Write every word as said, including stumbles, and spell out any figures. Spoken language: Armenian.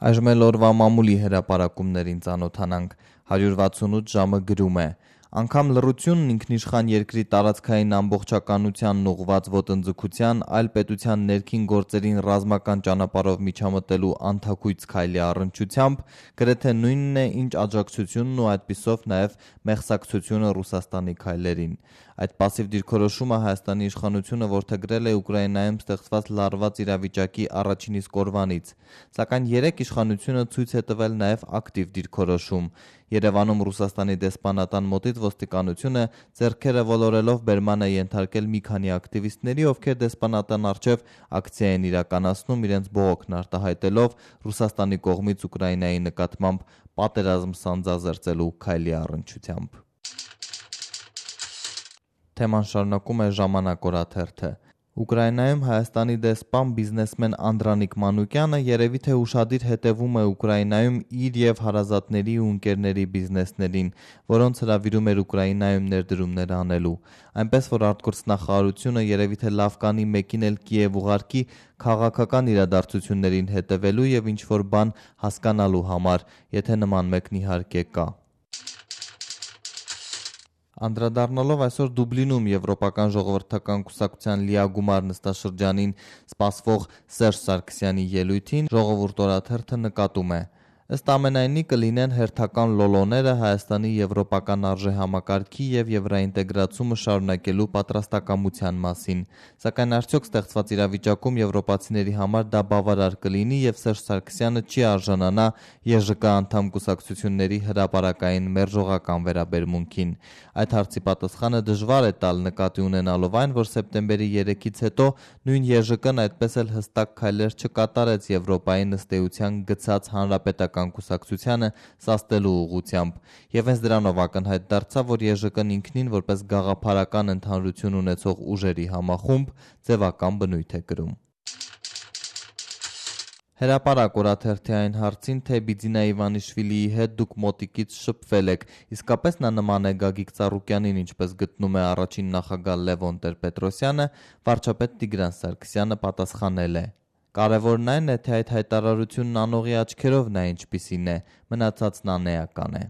Այժմ էլ օրվա մամուլի հրապարակումներին ծանոթանանք։ հարյուր վաթսունութ ժամը գրում է. Անգամ լռությունն ինքնիշխան երկրի տարածքային ամբողջականությանն ուղղված ոտնձգության, այլ պետության ներքին գործերին ռազմական ճանապարհով միջամտելու անթաքույց քայլի առնչությամբ գրեթե նույնն է, ինչ աջակցությունն ու այդպիսով նաև մեղսակցությունը Ռուսաստանի քայլերին։ Այդ պասիվ դիրքորոշումը Հայաստանի իշխանությունը որդեգրել է Ուկրաինայում ստեղծված լարված իրավիճակի առաջին իսկ օրվանից, սակայն երեք իշխանությունը ցույց է տվել նաև ակտիվ դիրքորոշում։ Երևանում Ռուսաստանի դեսպանատան մոտից ոստիկանությունը ձեռքերը ոլորելով բերման է ենթարկել մի քանի ակտիվիստների, ովքեր դեսպանատան առջև ակցիա են իրականացնում իրենց բողոքն արտահայտելով Ռուսաստանի կողմից Ուկրաինայի նկատմամբ պատերազմ սանձազերծելու քայլի առնչությամբ։ Թեման շարունակում է Ժամանակ օրաթերթը։ Ուկրաինայում Հայաստանի դեսպան բիզնեսմեն Անդրանիկ Մանուկյանը երևի թե ուշադիր հետևում է Ուկրաինայում իր եւ հարազատների ու ընկերների բիզնեսներին, որոնց հրավիրում էր Ուկրաինայում ներդրումներ անելու։ Այնպես որ արտգործնախարարությունը երևի թե լավ կանի մեկին էլ Կիև ուղարկի քաղաքական իրադարձություններին հետևելու եւ ինչ որ բան հասկանալու համար, եթե նման մեկն իհարկե կա։ Անդրադառնալով այսօր Դուբլինում Եվրոպական ժողովրդական կուսակցության լիագումար նստաշրջանին սպասվող Սերժ Սարգսյանի ելույթին Ժողովուրդ օրաթերթը նկատում է. ըստ ամենայնի կլինեն հերթական լոլոները Հայաստանի եվրոպական արժեհամակարգի եւ եվրաինտեգրացումը շարունակելու պատրաստակամության մասին, սակայն արդյոք ստեղծված իրավիճակում եվրոպացիների համար դա բավարար կլինի եւ Սերժ Սարգսյանը չի արժանանա Է Ժ Կ անդամ կուսակցությունների հրապարակային մերժողական վերաբերմունքին։ Այդ հարցի պատասխանը դժվար է տալ նկատի ունենալով այն, որ սեպտեմբերի երեքից հետո նույն Է Ժ Կն այդպես էլ հստակ քայլեր չկատարեց Եվրոպայի ըստ էության գցած հանրապետական կուսակցությանը սաստելու ուղղությամբ, եւ հենց դրանով ակնհայտ դարձավ, որ Է Ժ Կն ինքնին որպես գաղափարական ընդհանրություն ունեցող ուժերի համախումբ ձևական բնույթ է կրում։ Հրապարակ օրաթերթի այն հարցին, թե Բիձինա Իվանիշվիլիի հետ դուք մոտիկից շփվել եք, իսկապես նա նման է Գագիկ Ծառուկյանին, ինչպես գտնում է առաջին նախագահ Լևոն Տեր-Պետրոսյանը, վարչապետ Տիգրան Սարգսյանը պատասխանել է. Կարևորն այն է, թե այդ հայտարարությունն անողի աչքերով նա ինչպիսին է, մնացածն անեական է։